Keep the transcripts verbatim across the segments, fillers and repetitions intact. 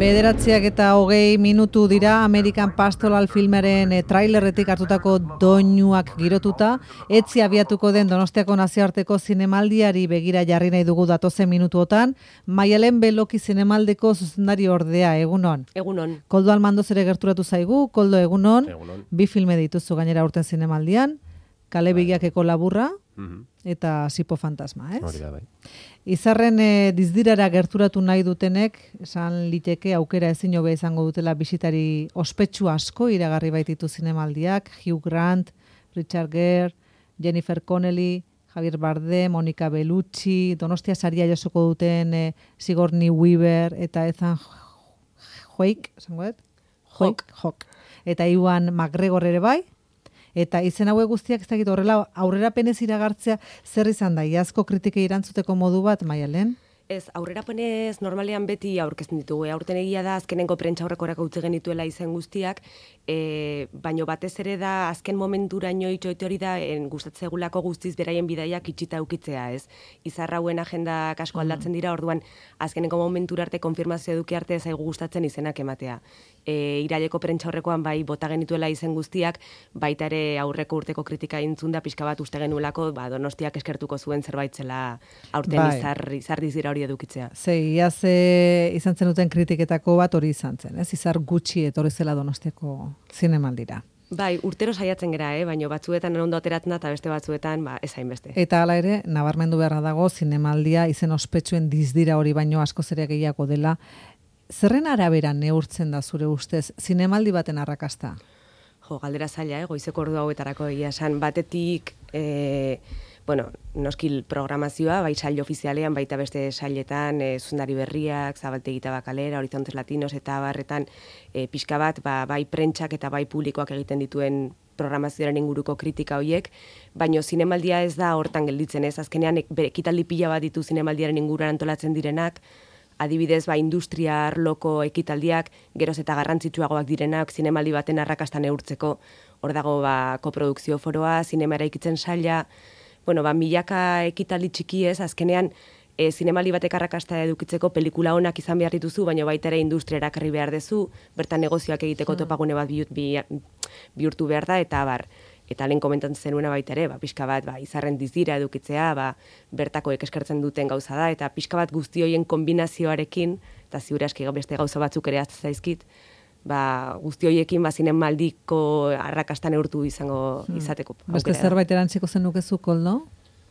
Bederatziak eta hogei minutu dira American Pastoral filmaren e, trailerretik hartutako doinuak girotuta, etzi abiatuko den Donostiako nazioarteko zinemaldiari begira jarri nahi dugu datozen minutuotan. Maialen Beloki zinemaldeko zuzendari ordea, egunon. Egunon. Koldo Almandoz ere gerturatu zaigu, Koldo egunon. Egunon. Bi filme dituzu gainera urten zinemaldian, Kale Begiakeko laburra Mhm. eta Sipo Fantasma, ez? Hori da, bai. Izarren e, dizdirara gerturatu nahi dutenek, esan liteke aukera ezin hobe izango dutela bisitari ospetsu asko iragarri baititu zinemaldiak, Hugh Grant, Richard Gere, Jennifer Connelly, Javier Bardem, Monica Bellucci, Donostia saria jasoko duten e, Sigourney Weaver eta Ethan Hawke, esango dut? Hawke, Hawke. Eta Iwan McGregor ere bai. Eta izen hauek guztiak ez dakit horrela aurrerapenez iragartzea zer izan da, iazko kritikei erantzuteko modu bat, Maialen? Ez, aurrerapenez normalean beti aurkezten ditugu. Aurten egia da azkenengo prentsaurrekorak utzi genituela izen guztiak, e, baino batez ere da azken momenturaino itxoite hori da en, gustatzegulako guztiz beraien bidaiak itxita ukitzea, ez? Izarrauen agendak asko aldatzen dira, orduan azkenengo momentura arte konfirmazio eduki arte zaigu gustatzen izenak ematea. E, iraileko prentsaurrekoan bai bota genituela izen guztiak, baita ere aurreko urteko kritika intzunda pixka bat uste genuelako, ba, Donostiak eskertuko zuen zerbait zela aurten bai. izar, izar dizira hori edukitzea. Ze, iaz e, izan zen duten kritiketako bat hori izan zen, ez? Izar gutxi etorri zela Donostiako zinemaldira. Bai, urtero saiatzen gera, eh? Baina batzuetan ondo ateratzen da eta beste batzuetan ba, ez hainbeste. Eta hala ere, nabarmendu beharra dago zinemaldia izen ospetsuen dizdira hori baino askoz ere gehiago dela. Zerren arabera neurtzen da zure ustez zinemaldi baten arrakasta? Jo, galdera zaila, eh? Goizeko ordu hauetarako egia esan batetik, eh, bueno, noskil programazioa, bai sail ofizialean, baita beste sailetan, e, zuzendari berriak, Zabaltegi Tabakalera, Horizontes Latinos eta barretan e, pixka bat, ba, bai prentsak eta bai publikoak egiten dituen programazioaren inguruko kritika hoiek, baino zinemaldia ez da hortan gelditzen, ez? Azkenean ekitaldi pila bat ditu zinemaldiaren inguruan antolatzen direnak, adibidez, ba, industria arloko ekitaldiak, geroz eta garrantzitsuagoak direnak, zinemaldi baten arrakasta neurtzeko, hor dago ba, koprodukzio foroa, zinema eraikitzen saila, bueno, ba, milaka ekitaldi txiki ez, azkenean, e, zinemaldi batek arrakasta edukitzeko pelikula onak izan behar dituzu, baina baita ere industria erakarri behar dezu, bertan negozioak egiteko topagune bat bihurtu behar da, eta bar, eta lehen komentatzen zenuena baita ere, ba, pixka bat ba, izarren dizira edukitzea, ba, bertakoek eskertzen duten gauza da, eta pixka bat guzti horien kombinazioarekin, eta ziur aski beste gauza batzuk ere azte zaizkit, ba, guzti horiekin ba, zinemaldiko arrakasta neurtu izango izateko. Beste zerbait erantziko zenukezu, Koldo?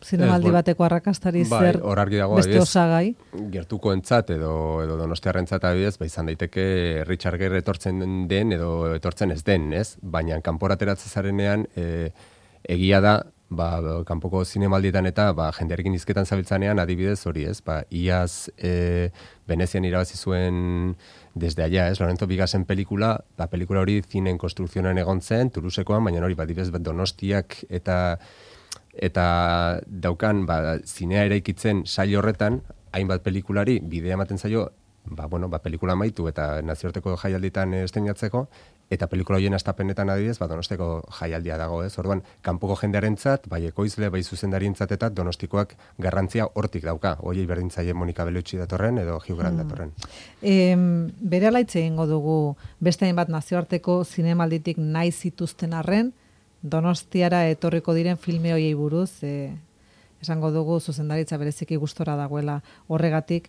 Zinemaldi Ez, bateko arrakastari bai, zer hor argi dago, beste adibidez, osagai? Gertuko entzat edo, edo Donostiarrentzat adibidez, ba, izan daiteke Richard Gere etortzen den edo etortzen ez den, ez? Baina kanpora ateratzen zarenean e, egia da, ba, kanpoko zinemaldietan eta ba, jendearekin hizketan zabiltzanean adibidez hori, ez? Ba, iaz e, Venezian irabazi zuen desde allá, ez? Lorenzo Vigasen pelikula, ba, pelikula hori zinen konstrukzioan egon zen, Toulousekoan, baina hori, ba, adibidez, Donostiak eta eta daukan ba, zinea eraikitzen sail horretan, hainbat pelikulari bidea ematen zaio, ba, bueno, ba, pelikula maitu eta nazioarteko jaialditan estreinatzeko, eta pelikula horien astapenetan adibidez, ba, Donostiako jaialdia dago, ez? Orduan, kanpoko jendearentzat, bai ekoizle, bai zuzendarientzat eta Donostikoak garrantzia hortik dauka. Hoiei berdintzaile Monica Bellucci datorren edo Hugh Grant datorren. E, bere alaitze egingo dugu beste hainbat nazioarteko zinemalditik nahi zituzten arren, Donostiara etorriko diren filme hoiei buruz, e, esango dugu zuzendaritza bereziki gustora dagoela horregatik,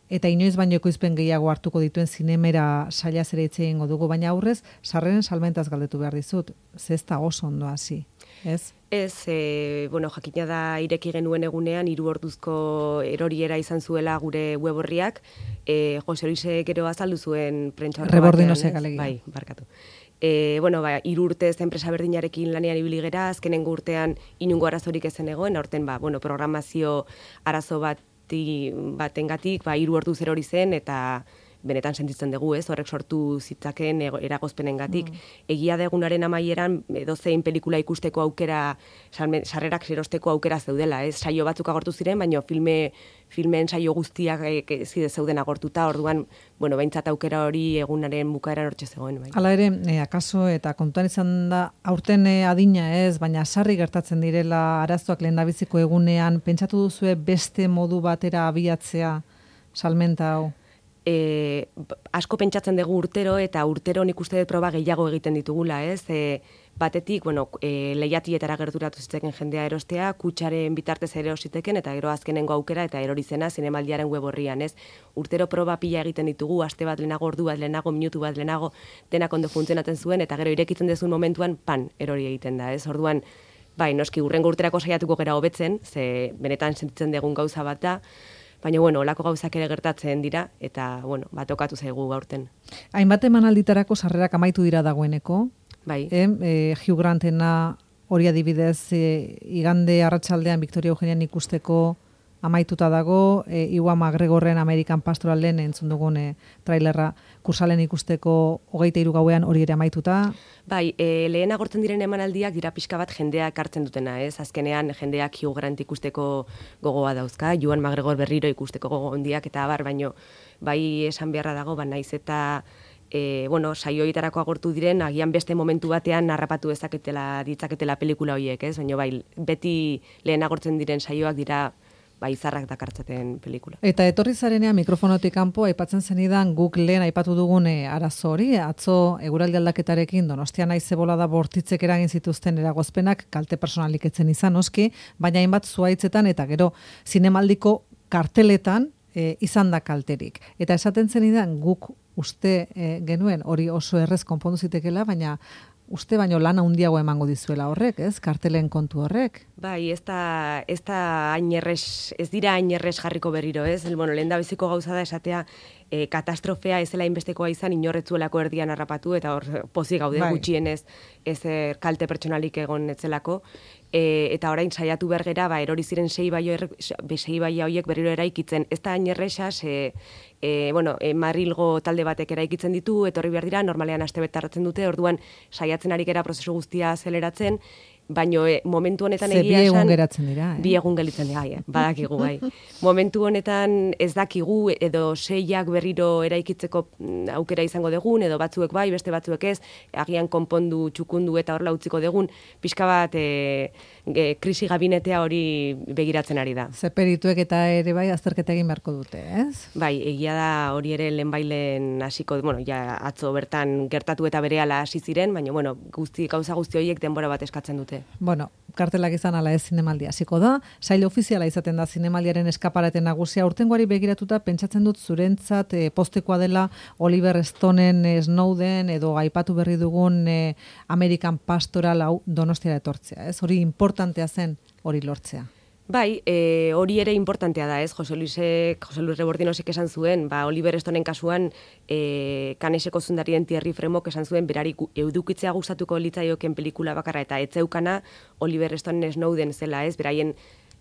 eta inoiz baino ekoizpen gehiago hartuko dituen zinemera sailaz ere hitz egingo dugu, baina aurrez sarreren salmentaz galdetu behar dizut, ze ez da oso ondo hasi, ez? Ez, e, bueno, jakina da ireki genuen egunean, hiru orduzko eroriera izan zuela gure web horriak, e, Jose Luise gero azaldu zuen prentsaurreko batean. Rebordinozek alegia. Bai, barkatu. E, bueno, ba, hiru urtez enpresa berdinarekin lanean ibili gera, azkenengo urtean inungo arazorik ezen egoen, aurten ba, bueno, programazio arazo bati, batengatik, ba, hiru orduz erori zen, eta benetan sentitzen dugu, ez, horrek sortu zitzaken eragozpenengatik. Mm. Egia da egunaren amaieran edozein pelikula ikusteko aukera, sarrerak erosteko aukera zeudela, ez, saio batzuk agortu ziren, baina filme, filmen saio guztiak e, zide zeuden agortuta, orduan, bueno, behintzat aukera hori egunaren bukaeran hortxe zegoen. Bai. Hala ere, e, akaso eta kontuan izan da, aurten e, adina ez, baina sarri gertatzen direla arazoak lehendabiziko egunean, pentsatu duzue beste modu batera abiatzea salmenta hau? e, asko pentsatzen dugu urtero, eta urtero nik uste dut proba gehiago egiten ditugula, ez? E, batetik, bueno, e, lehiatietara gerturatu zitzeken jendea erostea, kutsaren bitartez ere ositeken, eta gero azkenengo aukera, eta erorizena zinemaldiaren web horrian, ez? Urtero proba pila egiten ditugu, aste bat lehenago, ordu bat lehenago, minutu bat lehenago, denak ondo funtzionatzen zuen, eta gero irekitzen dezun momentuan, pan, erori egiten da, ez? Orduan, bai, noski, urrengo urterako saiatuko gera hobetzen, ze benetan sentitzen dugun gauza bat da, baina, bueno, olako gauzak ere gertatzen dira, eta, bueno, bat okatu zaigu gaurten. Hainbat emanalditarako sarrerak amaitu dira dagoeneko, bai. E, e, Hugh Grantena hori adibidez, e, igande arratsaldean Victoria Eugenian ikusteko amaituta dago, e, Iwan McGregorren American Pastoralen entzun dugun e, trailerra kursalen ikusteko hogeita hiru gauean hori ere amaituta. Bai, e, lehen agortzen diren emanaldiak dira pixka bat jendeak hartzen dutena, ez? Azkenean jendeak Hugh Grant ikusteko gogoa dauzka, Iwan McGregor berriro ikusteko gogo handiak eta abar, baino bai esan beharra dago, ba naiz eta E, bueno, saioietarako agortu diren, agian beste momentu batean narrapatu dezaketela, ditzaketela pelikula horiek, ez? Baina bai, beti lehen agortzen diren saioak dira bai zarrak dakartzaten pelikula. Eta etorri zarenean mikrofonotik kanpo aipatzen zenidan guk lehen aipatu dugun e, arazo hori, atzo eguraldi aldaketarekin Donostia naiz zebolada bortitzek eragin zituzten eragozpenak kalte personalik etzen izan noski, baina hainbat zuhaitzetan eta gero zinemaldiko karteletan e, izan da kalterik. Eta esaten zenidan guk uste e, genuen hori oso errez konpondu zitekela, baina uste baino lana handiago emango dizuela horrek, ez? Kartelen kontu horrek. Bai, ez da, ez da hain errez, ez dira hain errez jarriko berriro, ez? Bueno, lehen da beziko gauza da esatea e, katastrofea ez zela inbestekoa izan inorretzuelako erdian harrapatu, eta hor pozik gaude bai. Gutxienez ez er, kalte pertsonalik egon etzelako. E, eta orain saiatu bergera, ba, erori ziren sei baio, sei baia horiek berriro eraikitzen. Ez da hain erresa, e, e, bueno, e, Madrilgo talde batek eraikitzen ditu, etorri behar dira, normalean aste bet tardatzen dute, orduan saiatzen ari gera prozesu guztia azeleratzen, baino e, momentu honetan Ze egia bi egun esan... geratzen dira, eh? Bi egun gelitzen dira, eh? Badakigu, bai. Momentu honetan ez dakigu, edo seiak berriro eraikitzeko aukera izango degun, edo batzuek bai, beste batzuek ez, agian konpondu, txukundu eta horla utziko degun, pixka bat e, e, krisi gabinetea hori begiratzen ari da. Ze perituek eta ere bai azterketa egin beharko dute, ez? Bai, egia da hori ere lehenbailen hasiko, bueno, ja atzo bertan gertatu eta berehala hasi ziren, baina bueno, guzti gauza guzti horiek denbora bat eskatzen dute. Bueno, kartelak izan ala ez zinemaldi hasiko da, sail ofiziala izaten da zinemaldiaren eskaparate nagusia, urtengoari begiratuta pentsatzen dut zurentzat e, postekoa dela Oliver Stoneen e, Snowden edo aipatu berri dugun e, American Pastoral hau Donostiara etortzea, ez? Hori importantea zen hori lortzea. Bai, e, hori ere importantea da, ez? Jose Luisek, Jose Luis Rebordinosek esan zuen, ba, Oliver Stonen kasuan, e, Kaneseko zundarien Thierry Fremok esan zuen, berari edukitzea gustatuko litzaioken pelikula bakarra, eta etzeukana Oliver Stonen Snowden zela, ez? Beraien,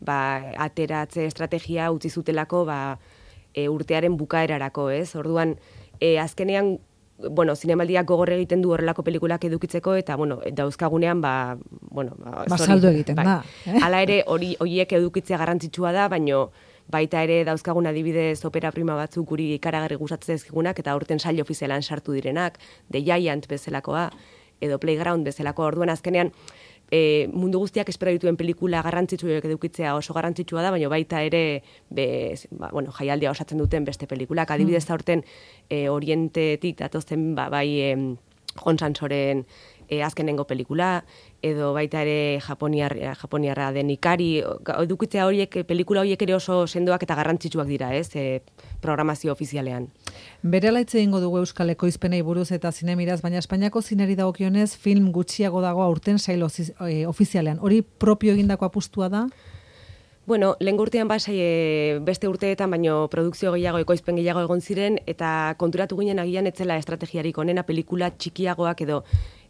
ba, ateratze estrategia utzi zutelako, ba, e, urtearen bukaerarako, ez? Orduan, e, azkenean, bueno, zinemaldiak gogor egiten du horrelako pelikulak edukitzeko, eta, bueno, dauzkagunean, ba, bueno, ba, Basaldu egiten bai. da. Eh? Hala ere, hori horiek edukitzea garrantzitsua da, baino baita ere dauzkagun adibidez opera prima batzuk guri ikaragarri gustatzen zaizkigunak, eta aurten sail ofizialan sartu direnak, The Giant bezalakoa, edo Playground bezalakoa, orduan azkenean, E, mundu guztiak espero dituen pelikula garrantzitsuak edukitzea oso garrantzitsua da, baina baita ere be, ba, bueno, jaialdia osatzen duten beste pelikulak. Adibidez da urten e, Orientetik datozen ba, bai e, Jon Sansoren e, azkenengo pelikula, edo baita ere Japoniar, Japoniarra den Ikari, edukitzea horiek, pelikula horiek ere oso sendoak eta garrantzitsuak dira, ez, e, programazio ofizialean. Berehala hitz egingo dugu Euskal Ekoizpenei buruz eta zinemiraz, baina Espainiako zineri dagokionez film gutxiago dago aurten sail ofizialean. Hori propio egindako apustua da? Bueno, lehen urtean basai e, beste urteetan, baino produkzio gehiago, ekoizpen gehiago egon ziren, eta konturatu ginen agian etzela estrategiarik onena pelikula txikiagoak edo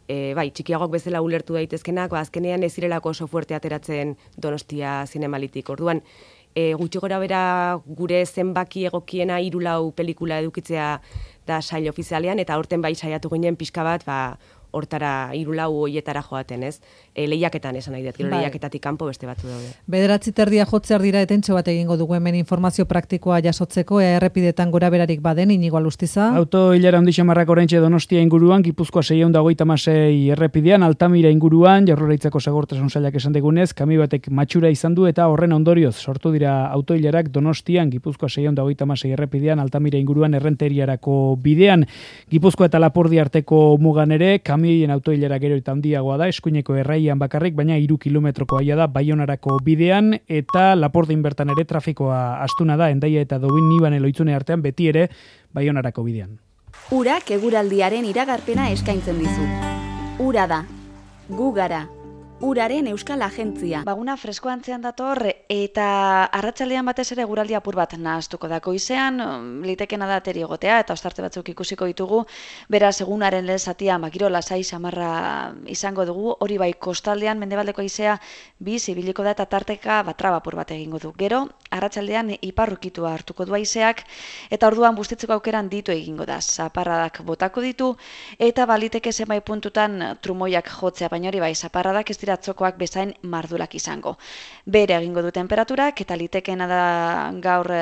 E, bai, txikiagoak bezala ulertu daitezkenak, ba, azkenean ez zirelako oso fuerte ateratzen Donostia zinemalitik. Orduan, e, gutxi gora bera gure zenbaki egokiena hiru lau pelikula edukitzea da sail ofizialean, eta aurten bai saiatu ginen pixka bat, ba, hortara hirulau hoietara joaten, ez? E, lehiaketan esan nahi dut, gero Bai. lehiaketatik kanpo beste batzu daude. Bederatzi terdia jotzear dira etentxo bat egingo dugu hemen informazio praktikoa jasotzeko, ea errepidetan gora berarik baden, Inigo Alustiza. Auto hilara handi xamarrak oraintxe Donostia inguruan, Gipuzkoa seiehun eta hogeita hamasei errepidean, Altamira inguruan, Jaurlaritzako segurtasun sailak esan digunez, kami batek matxura izan du eta horren ondorioz sortu dira auto hilarak Donostian, Gipuzkoa seiehun eta hogeita hamasei errepidean, Altamira inguruan errenteriarako bidean, Gipuzkoa eta Lapurdi arteko mugan ere, kamioien auto hilara gero eta handiagoa da, eskuineko erraian bakarrik, baina hiru kilometroko aia da Baionarako bidean, eta Lapordin bertan ere trafikoa astuna da, Hendaia eta Dobin-Nibane loitzune artean beti ere Baionarako bidean. Urak eguraldiaren iragarpena eskaintzen dizu. Ura da. Gu gara. Uraren Euskal Agentzia. Baguna fresko antzean dator eta arratsaldean batez ere eguraldi apur bat nahaztuko da. Goizean litekena da ateri egotea eta ostarte batzuk ikusiko ditugu. Beraz egunaren lehen zatian giro lasai samarra izango dugu. Hori bai kostaldean mendebaldeko haizea biz ibiliko da eta tarteka traba apur bat egingo du. Gero arratsaldean iparrukitua hartuko du haizeak eta orduan bustitzeko aukeran ditu egingo da. Zaparradak botako ditu eta baliteke zenbait puntutan trumoiak jotzea, baina hori bai zaparradak ez atzokoak bezain mardulak izango. Bere egingo du temperaturak eta litekeena da gaur e,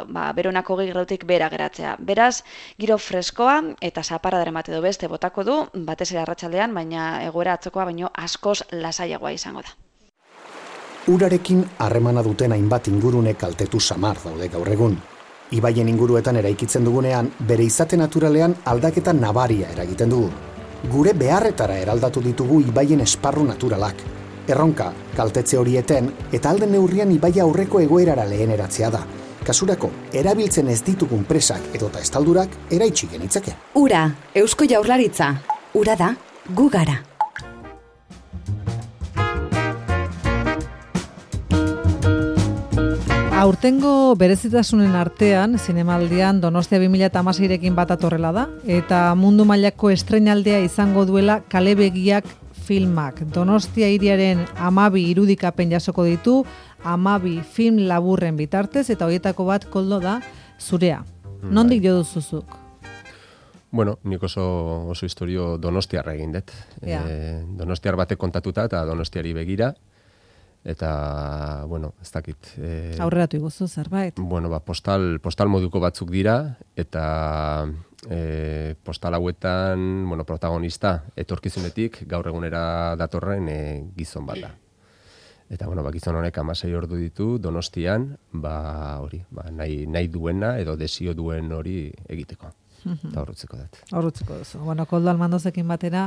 ba, beronako hogei gradutik bera geratzea. Beraz, giro freskoa eta zaparradaren bat edo beste botako du, batez ere arratsaldean, baina egoera atzokoa baino askoz lasaiagoa izango da. Urarekin harremana duten hainbat ingurune kaltetu samar daude gaur egun. Ibaien inguruetan eraikitzen dugunean, bere izate naturalean aldaketa nabaria eragiten dugu. Gure beharretara eraldatu ditugu ibaien esparru naturalak. Erronka, kaltetze horieten, eta alden neurrian ibaia aurreko egoerara leheneratzea da. Kasurako, erabiltzen ez ditugun presak edota estaldurak eraitsi genitzake. Ura, Eusko Jaurlaritza. Ura da, gu gara. Aurtengo berezitasunen artean, zinemaldian Donostia bi mila hamaseirekin bat atorrela da, eta mundu mailako estreinaldea izango duela Kalebegiak filmak. Donostia hiriaren hamabi irudikapen jasoko ditu, hamabi film laburren bitartez, eta horietako bat koldo da zurea. Nondik jo duzuzuk? Bueno, nik oso, oso historio donostiarra egin dut. Ja. E, donostiar batek kontatuta eta donostiari begira. Eta, bueno, ez dakit. E, Aurreratu iguzu zerbait. Bueno, ba, postal, postal moduko batzuk dira, eta e, postal hauetan, bueno, protagonista etorkizunetik gaur egunera datorren e, gizon bat da. Eta, bueno, ba, gizon honek hamasei ordu ditu Donostian, ba, hori, ba, nahi, nahi duena edo desio duen hori egiteko. Eta horrutzeko dut. Horrutzeko duzu. Bueno, Koldo Almandozekin batera,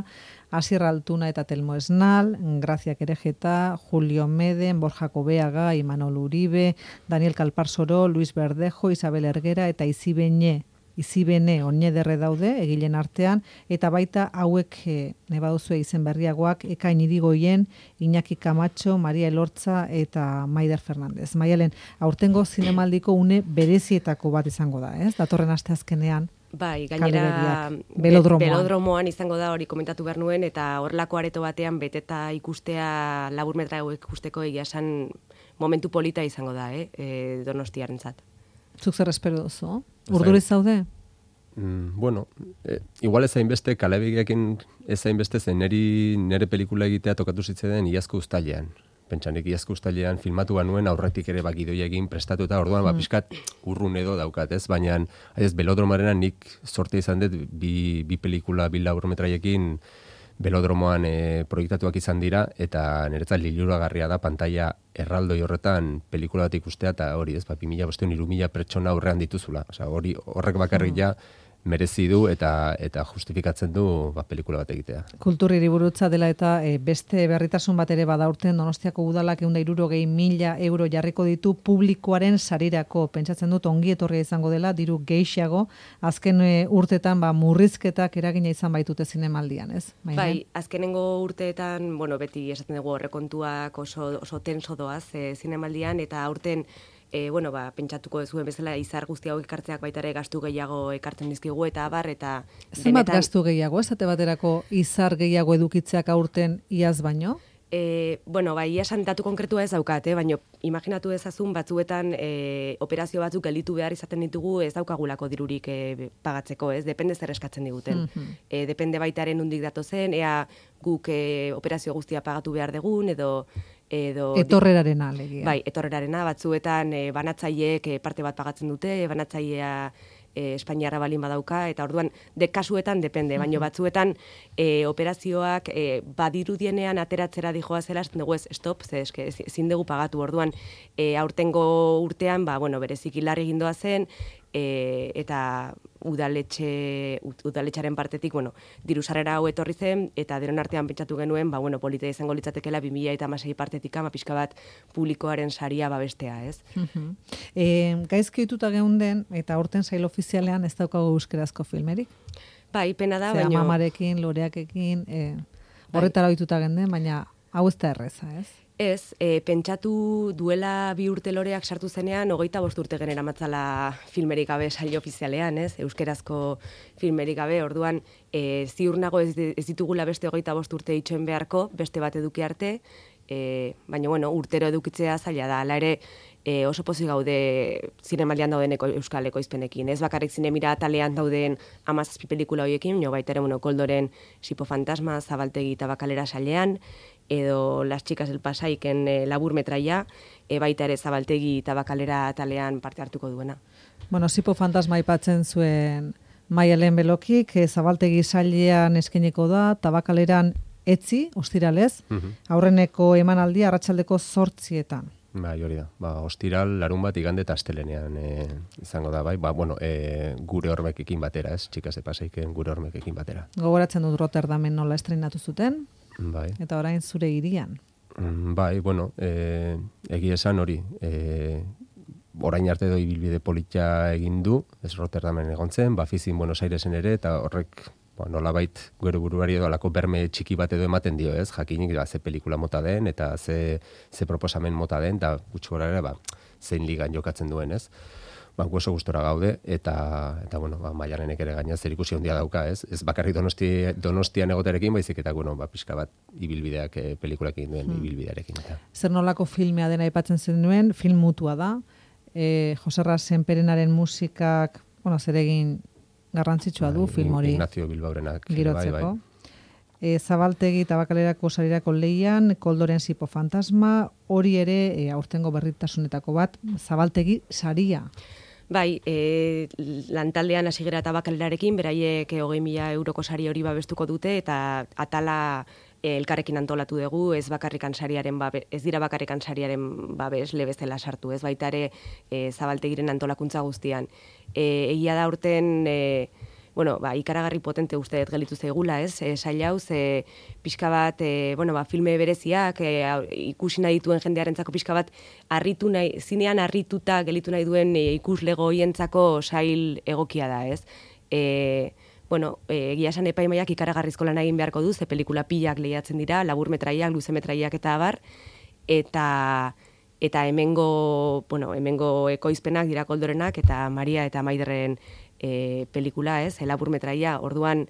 Asier Altuna eta Telmo Esnal, Grazia Kerejeta, Julio Meden, Borja Kobeaga, Imanol Uribe, Daniel Kalparsoro, Luis Verdejo, Isabel Ergera eta Izibene, Izibene Oñederre daude, egilen artean, eta baita hauek e, nebaduzue izen berriagoak, Ekain Irigoien, Iñaki Camacho, Maria Elortza eta Maider Fernandez. Maialen, aurtengo zinemaldiko une berezietako bat izango da, ez? Datorren aste azkenean. Bai, gainera Belodromoan. Belodromoan izango da hori komentatu behar nuen, eta horrelako areto batean beteta ikustea, labur metra ikusteko egia esan momentu polita izango da, eh? E, Donostiarentzat. Zuk zer espero duzu? Urduriz zaude? Mm, bueno, e, igual ez hainbeste, Kalebegiakin ez hainbeste zen neri, nere pelikula egitea tokatu zitzeden iazko uztailean. Pentsanik iazko uztailean filmatu banuen aurretik ere bakidoia egin prestatu eta orduan ba, pixkat urrun edo daukat, ez? Baina ez Belodromarena nik sorte izan dut bi, bi pelikula, bi laburmetraiekin Belodromoan e, proiektatuak izan dira, eta niretzat liluragarria da pantaila erraldoi horretan pelikula bat ikustea, eta hori, ez, ba, bi mila bosteun, hiru mila pertsona aurrean dituzula. Osea, hori horrek bakarrik ja merezi du eta eta justifikatzen du ba, pelikula bat egitea. Kultur hiriburutza dela eta e, beste berritasun bat ere bada urten Donostiako udalak ehun eta hirurogei mila euro jarriko ditu publikoaren sarirako. Pentsatzen dut ongi etorria izango dela, diru gehiago, azken e, urtetan ba, murrizketak eragina izan baitute zinemaldian, ez? Maine? Bai, azkenengo urteetan, bueno, beti esaten dugu horrekontuak oso, oso tenso doaz e, zinemaldian, eta aurten E, bueno, ba, pentsatuko duzuen bezala izar guzti hau ekartzeak baita ere gastu gehiago ekartzen dizkigu eta abar eta zenbat gastu gehiago, esate baterako izar gehiago edukitzeak aurten iaz baino? E, bueno, bai, esan datu konkretua ez daukat, eh? Baina imaginatu dezazun batzuetan e, operazio batzuk gelditu behar izaten ditugu ez daukagulako dirurik e, pagatzeko, ez? Depende zer eskatzen diguten. Mm-hmm. e, depende baitaren nondik datozen, ea guk e, operazio guztia pagatu behar dugun, edo... edo etorrerarena, alegia. Bai, etorrerarena, batzuetan e, banatzaileek e, parte bat pagatzen dute, banatzailea... E, Espainiarra balin badauka, eta orduan de kasuetan depende, baina batzuetan e, operazioak e, badirudienean ateratzera dijoa zela, dugu ez, stop, ze eske, ezin dugu pagatu, orduan e, aurtengo urtean, ba, bueno, berezik hilarri gindoa zen, e, eta udaletxe, udaletxaren partetik, bueno, diru sarrera hau etorri zen, eta denon artean pentsatu genuen, ba, bueno, polita izango litzatekela bi mila hamasei partetik ama pixka bat publikoaren saria babestea, ez? Uh-huh. E, gaizki dituta geunden, eta aurten sail ofizialean ez daukago euskerazko filmerik? Bai, pena da, baina... baina... mamarekin, loreakekin, e, horretara ohituta geunden, baina hau ez da erreza, ez? Ez, e, pentsatu duela bi urte loreak sartu zenean, hogeita bost urte genera matzala filmerik gabe saio ofizialean, ez? Euskerazko filmerik gabe, orduan e, ziur nago ez, ez ditugula beste hogeita bost urte itxoen beharko, beste bat eduki arte, e, baina bueno, urtero edukitzea zaila da, ala ere e, oso pozik gaude zinemaldian dauden eko, euskal ekoizpenekin, ez bakarrik zinemira atalean dauden hamazazpi pelikula horiekin, jo baita ere, bueno, Koldoren Sipo Fantasma, Zabaltegi eta Bakalera sailean, edo Las Chicas del Pasaiken e, labur metraia, e, baita ere Zabaltegi eta Bakalera atalean parte hartuko duena. Bueno, Sipo Fantasma aipatzen zuen Maialen Belokik, e, Zabaltegi sailean eskeniko da, eta Bakaleran etzi, ostiralez, uh-huh. aurreneko emanaldia arratsaldeko zortzietan. Bai, hori da. Ba, ostiral, larun bat, igande eta astelenean e, izango da, bai. Ba, bueno, e, gure hormekekin batera, ez? Chicas de Pasaiken gure hormekekin batera. Gogoratzen dut Rotterdamen nola estrenatu zuten? Bai. Eta orain zure hirian. Bai, bueno, e, egia esan hori, e, orain arte doi bilbide politia egin du, ez Rotterdamen egon zen, Bafizin Buenos Airesen ere, eta horrek ba, nolabait gure buruari edo alako berme txiki bat edo ematen dio, ez? Jakinik ba, ze pelikula mota den, eta ze, ze proposamen mota den, eta gutxi gora ere, ba, zein ligan jokatzen duen, ez? Ba, oso gustora gaude, eta, eta bueno, ba, Maialenek ere gaina zer ikusi handia dauka, ez? Ez bakarrik donosti, donostian egoterekin, baizik eta, bueno, ba, pixka bat ibilbideak, e, pelikulakin duen hmm. ibilbidearekin. Eta. Zer nolako filmea dena aipatzen zenuen, film mutua da, e, Joserra Senperenaren musikak, bueno, zer egin garrantzitsua du film hori. Ignacio Bilbaorenak. Girotzeko. Bai, bai. E, Zabaltegi eta Bakalerako sarirako lehian, Koldoren Sipo Fantasma, hori ere e, aurtengo berritasunetako bat, Zabaltegi saria. Bai, e, lantaldean hasi gara eta Bakalerarekin, beraiek hogei mila euroko sari hori babestuko dute, eta atala e, elkarrekin antolatu dugu, ez bakarrikan sariaren babe, ez dira bakarrikan sariaren babes lebezela sartu, ez baita ere e, Zabaltegiren antolakuntza guztian. E, egia da urten, e, bueno, ba, ikaragarri potente uste dut gelitu zaigula, ez? E, saila hau, ze pixka bat, e, bueno, ba, filme bereziak, e, ikusi nahi dituen jendearentzako pixka bat, arritu nahi, zinean arrituta gelitu nahi duen e, ikuslego hientzako sail egokia da, ez? E, bueno, e, egia esan epaimaiak ikaragarrizko lan egin beharko du, ze pelikula pilak lehiatzen dira, labur metraiak, luze metraiak eta abar, eta... eta hemengo, bueno, hemengo ekoizpenak dira Koldorenak eta Maria eta Maiderren e, pelikula, ez, elabur metraia, orduan,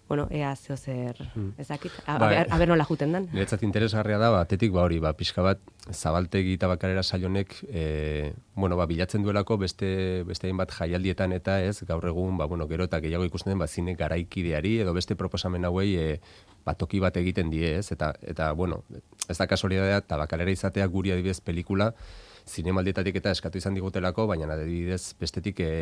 bueno, ea zeo zer, hmm. ezakit, aber nola juten dan. Niretzat interesgarria da, batetik, ba hori, ba, pixka bat, Zabaltegi eta Bakalera saionek, e, bueno, ba, bilatzen duelako beste, beste bat jaialdietan eta ez, gaur egun, ba, bueno, gero eta gehiago ikusten den, ba, zine garaikideari, edo beste proposamen hauei, e, ba, toki bat egiten die, ez, eta, eta, bueno, ez da kasualitatea, eta Bakalera izatea guri adibidez pelikula, zinemaldietatik eta eskatu izan digutelako, baina adibidez bestetik e,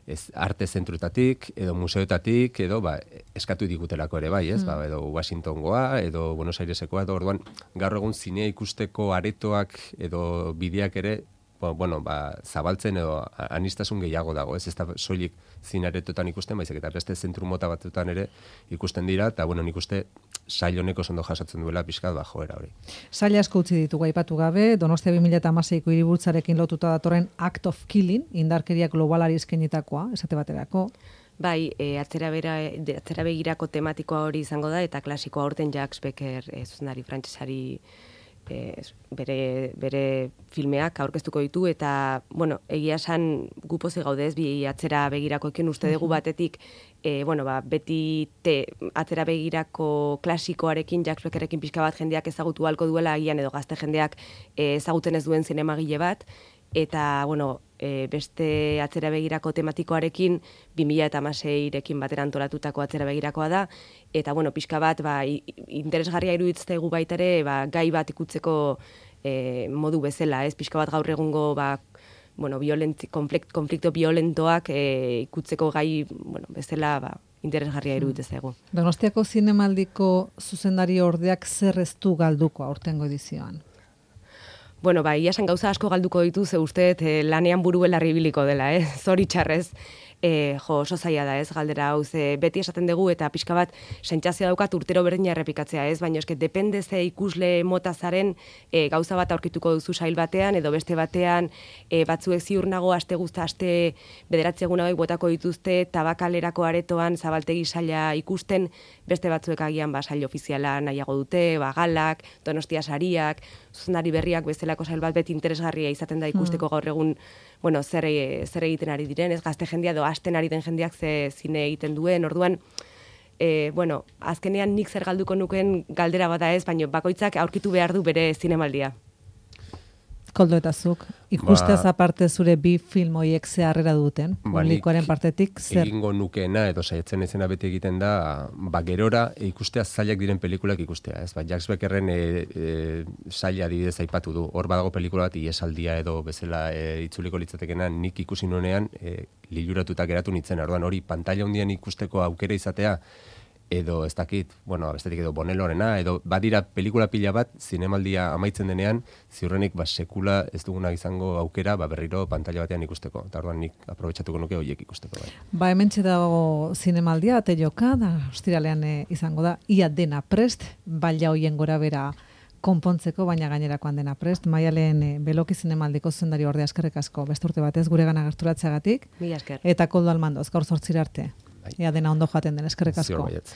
ez, arte zentruetatik, edo museoetatik, edo ba, eskatu digutelako ere bai, ez? Mm. Ba, edo Washingtongoa, edo Buenos Airesekoa, edo orduan gaur egun zinea ikusteko aretoak edo bideak ere, bueno, ba, zabaltzen edo anistasun gehiago dago, ez? Ez da soilik zinaretotan ikusten, baizik eta beste zentru mota batzutan ere ikusten dira, eta bueno, nik uste sail honeko ondo jasatzen duela pixkat ba joera hori. Sail asko utzi ditugu aipatu gabe, Donostia bi mila hamaseiko hiriburtzarekin lotuta datorren Act of Killing, indarkeria globalari eskainitakoa, esate baterako. Bai, e, atzera, bera, de, atzera begirako tematikoa hori izango da, eta klasikoa aurten Jacques Becker e, zuzendari frantsesari e, bere, bere filmeak aurkeztuko ditu, eta, bueno, egia esan gu pozik gaude ez, bi atzera begirakoekin uste dugu batetik, e, bueno, ba, beti te, atzera begirako klasikoarekin, Jacques Beckerekin pixka bat jendeak ezagutu halko duela, agian edo gazte jendeak e, ezagutzen ez duen zinemagile bat, eta, bueno, e, beste atzera begirako tematikoarekin bi mila hamaseirekin batera antolatutako atzera begirakoa da, eta, bueno, pixka bat, ba, interesgarria iruditzaigu baita ere, ba, gai bat ikutzeko e, modu bezala, ez, pixka bat gaur egungo, ba, bueno, violent, konflikt, konflikto violentoak e, ikutzeko gai, bueno, bezala, ba, interesgarria iruditzaigu. Donostiako zinemaldiko zuzendari ordeak zer ez du galduko aurtengo edizioan? Bueno, ba, iasan gauza asko galduko ditu, ze uste eh, lanean buru belarri ibiliko dela, eh? Zoritxarrez, eh, jo, oso zaila da, ez, galdera hau, ze beti esaten dugu, eta pixka bat, sentsazioa daukat urtero berdina errepikatzea, ez, baina eske depende ze ikusle mota zaren eh, gauza bat aurkituko duzu sail batean, edo beste batean eh, batzuek ziur nago, aste guzta, aste bederatzi egun hauek botako dituzte, tabakalerako aretoan zabaltegi saila ikusten, beste batzuek agian ba, sail ofiziala nahiago dute, ba, galak, Donostia sariak, zuzendari berriak bezalako sail bat beti interesgarria izaten da ikusteko gaur egun, bueno, zer, zer egiten ari diren, ez gazte jendea edo hasten ari den jendeak ze zine egiten duen, orduan, e, bueno, azkenean nik zer galduko nuken galdera bada ez, baina bakoitzak aurkitu behar du bere zinemaldia. Koldo eta zuk, ikustez Ba- aparte zure bi film hoiek ze harrera duten, Ba, publikoaren nik partetik, zer? Egingo nukeena edo saiatzen ezena beti egiten da, ba, gerora ikustea zailak diren pelikulak ikustea, ez? Ba, Jacques Beckerren e, e, saila adibidez aipatu du. Hor badago pelikula bat Iesaldia edo bezala e, itzuliko litzatekena nik ikusi nuenean e, liluratuta geratu nintzen. Orduan hori pantalla hundian ikusteko aukera izatea edo ez dakit, bueno, bestetik edo Bonelorena, edo badira pelikula pila bat, zinemaldia amaitzen denean, ziurrenik ba, sekula ez duguna izango aukera ba, berriro pantalla batean ikusteko. Eta orduan nik aprobetxatuko nuke horiek ikusteko. Bai. Ba, hementxe dago zinemaldia, ate joka, da, ostiralean e, izango da, ia dena prest, baila hoien gora bera konpontzeko, baina gainerakoan dena prest. Maialen e, Beloki zinemaldiko zuzendari ordea eskerrik asko, beste urte batez gure gana gerturatzeagatik, Mila esker. eta Koldo Almandoz, gaur zortzira arte. Bai. Ia dena ondo joaten den, eskerrik asko. Ziur baietz.